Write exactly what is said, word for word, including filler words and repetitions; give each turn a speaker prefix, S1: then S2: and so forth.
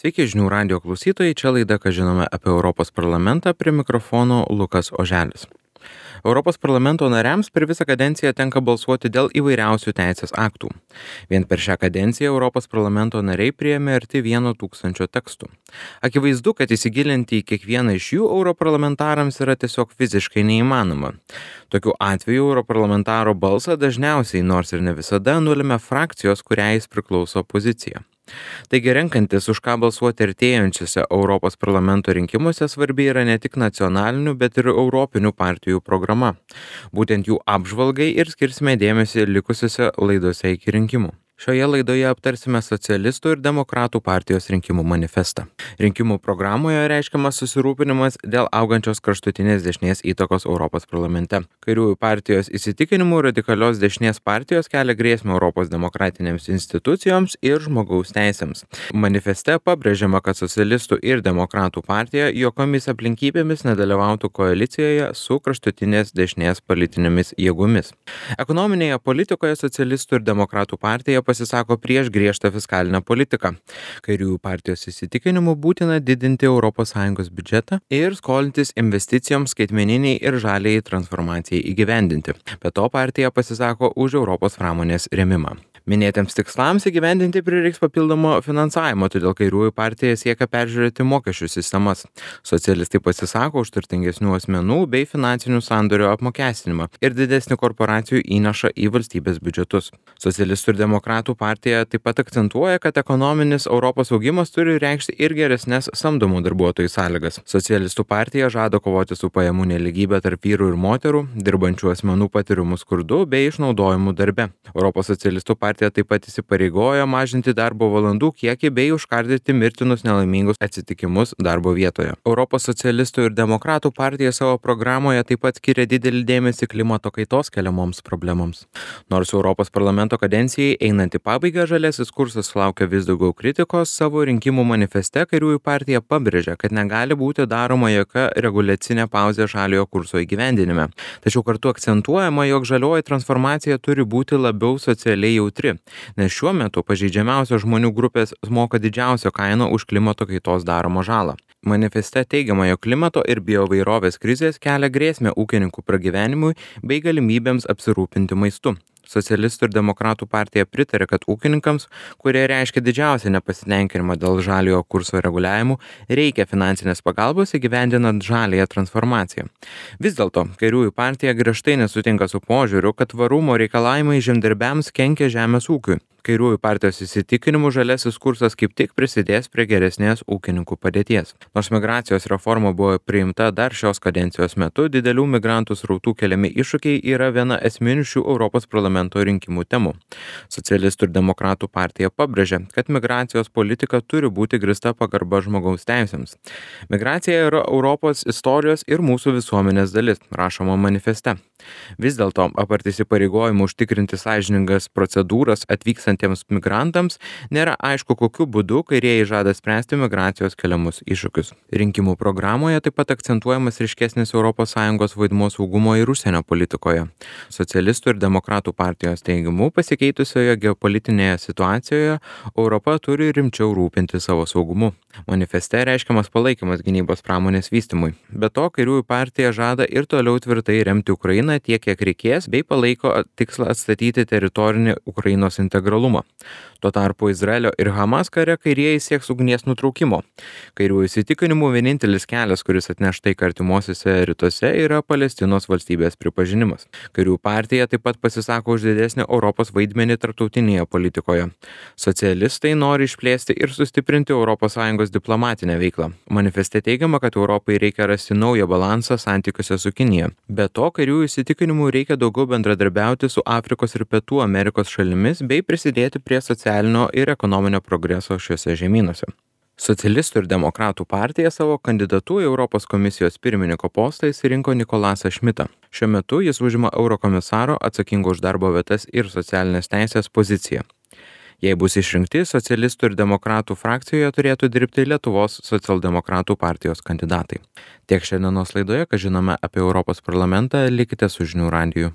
S1: Sveiki žinių radio klausytojai, čia laida, ką žinome apie Europos parlamentą, prie mikrofono Lukas Oželis. Europos parlamento nariams per visą kadenciją tenka balsuoti dėl įvairiausių teisės aktų. Vien per šią kadenciją Europos parlamento nariai priėmė arti vieno tūkstančio tekstų. Akivaizdu, kad įsigilinti į kiekvieną iš jų europarlamentarams yra tiesiog fiziškai neįmanoma. Tokiu atveju europarlamentaro balsą dažniausiai, nors ir ne visada, nulemia frakcijos, kuriai jis priklauso pozicija. Taigi renkantis, už ką balsuoti artėjančiuose Europos parlamento rinkimuose, svarbi yra ne tik nacionalinių, bet ir europinių partijų programa. Būtent jų apžvalgai ir skirsime dėmesį likusiuose laidose iki rinkimų. Šioje laidoje aptarsime socialistų ir demokratų partijos rinkimų manifestą. Rinkimų programoje reiškiamas susirūpinimas dėl augančios kraštutinės dešinės įtakos Europos parlamente. Kairiųjų partijos įsitikinimų radikalios dešinės partijos kelia grėsmę Europos demokratinėms institucijoms ir žmogaus teisėms. Manifeste pabrėžiama, kad socialistų ir demokratų partija jokiomis aplinkybėmis nedalyvautų koalicijoje su kraštutinės dešinės politinėmis jėgomis. Ekonominėje politikoje socialistų ir demokratų partija pasisako prieš griežtą fiskalinę politiką. Kairiųjų partijos įsitikinimu būtina didinti Europos Sąjungos biudžetą ir skolintis investicijoms skaitmeniniai ir žaliai transformacijai įgyvendinti. Be to partija pasisako už Europos pramonės rėmimą. Minėtiems tikslams įgyvendinti prireiks papildomo finansavimo, todėl kairiųjų partija siekia peržiūrėti mokesčių sistemas. Socialistai pasisako už turtingesnių asmenų bei finansinių sandorių apmokestinimą ir didesnį korporacijų įnašą į valstybės biudžetus. Socialistų ir demokratų partija taip pat akcentuoja, kad ekonominis Europos augimas turi reikšti ir geresnės samdomų darbuotojų sąlygas. Socialistų partija žada kovoti su pajamų nelygybė tarp vyrų ir moterų, dirbančių asmenų patirimu skurdu bei išnaudojimu darbe. Europos socialistų partija Partija taip pat įsipareigojo mažinti darbo valandų kiekį bei užkardyti mirtinus nelaimingus atsitikimus darbo vietoje. Europos socialistų ir demokratų partija savo programoje taip pat skiria didelį dėmesį klimato kaitos keliamoms problemams. Nors Europos parlamento kadencijai einant į pabaigą žaliasis kursas sulaukia vis daugiau kritikos, savo rinkimų manifeste kairiųjų partija pabrėžia, kad negali būti daroma jokia reguliacinė pauzė žaliojo kurso įgyvendinime. Tačiau kartu akcentuojama, jog žalioji transformacija turi būti labiau socialiai jautri, nes šiuo metu pažeidžiamiausios žmonių grupės moka didžiausią kainą už klimato kaitos daromą žalą. Manifeste teigiama, jog klimato ir bioįvairovės krizės kelia grėsmę ūkininkų pragyvenimui bei galimybėms apsirūpinti maistu. Socialistų ir demokratų partija pritarė, kad ūkininkams, kurie reiškia didžiausią nepasitenkinimą dėl žaliojo kurso reguliavimų, reikia finansinės pagalbos įgyvendinant žaliąją transformaciją. Vis dėlto, kairiųjų partija griežtai nesutinka su požiūriu, kad tvarumo reikalavimai žemdirbiams kenkia žemės ūkiui. Kairiųjų partijos įsitikinimu žaliasis kursas kaip tik prisidės prie geresnės ūkininkų padėties. Nors migracijos reforma buvo priimta dar šios kadencijos metu, didelių migrantų srautų keliami iššūkiai yra viena esminių šių Europos parlamento rinkimų temų. Socialistų ir demokratų partija pabrėžia, kad migracijos politika turi būti grįsta pagarba žmogaus teisėms. Migracija yra Europos istorijos ir mūsų visuomenės dalis, rašoma manifeste. Vis dėlto, apart įsipareigojimų užtikrinti sąžiningas procedūras atvykstantiems migrantams, nėra aišku, kokiu būdu kairieji žada spręsti migracijos keliamus iššūkius. Rinkimų programoje taip pat akcentuojamas ryškesnis Europos Sąjungos vaidmuo saugumo ir užsienio politikoje. Socialistų ir demokratų partijos teigimu, pasikeitusioje geopolitinėje situacijoje Europa turi rimčiau rūpinti savo saugumu. Manifeste reiškiamas palaikymas gynybos pramonės vystymui. Be to, kairiųjų partija žada ir toliau tvirtai remti Ukrainą tiek, kiek reikės, bei palaiko tikslą atstatyti teritorinį Ukrainos integralumą. Tuo tarpu Izraelio ir Hamas kare kairieji sieks ugnies nutraukimo. Kairiųjų įsitikinimų vienintelis kelias, kuris atneš taiką artimuosiuose rytuose, yra Palestinos valstybės pripažinimas. Kairiųjų partija taip pat pasisako už didesnį Europos vaidmenį tarptautinėje politikoje. Socialistai nori išplėsti ir sustiprinti Europos Sąjungos diplomatinę veiklą. Manifeste teigiama, kad Europai reikia rasti naują balansą santykiuose su Kinija. Be to, kairiųjų įsitikinimų reikia daugiau bendradarbiauti su Afrikos ir Pietų Amerikos šalimis bei prisidėti prie socialinio ir ekonominio progreso šiuose žemynuose. Socialistų ir demokratų partija savo kandidatu į Europos komisijos pirmininko postą išsirinko Nikolasą Šmitą. Šiuo metu jis užima eurokomisaro atsakingo už darbo vietas ir socialinės teisės poziciją. Jei bus išrinkti, socialistų ir demokratų frakcijoje turėtų dirbti Lietuvos socialdemokratų partijos kandidatai. Tiek šiandienos laidoje, ką žinome apie Europos parlamentą, likite su žinių radiju.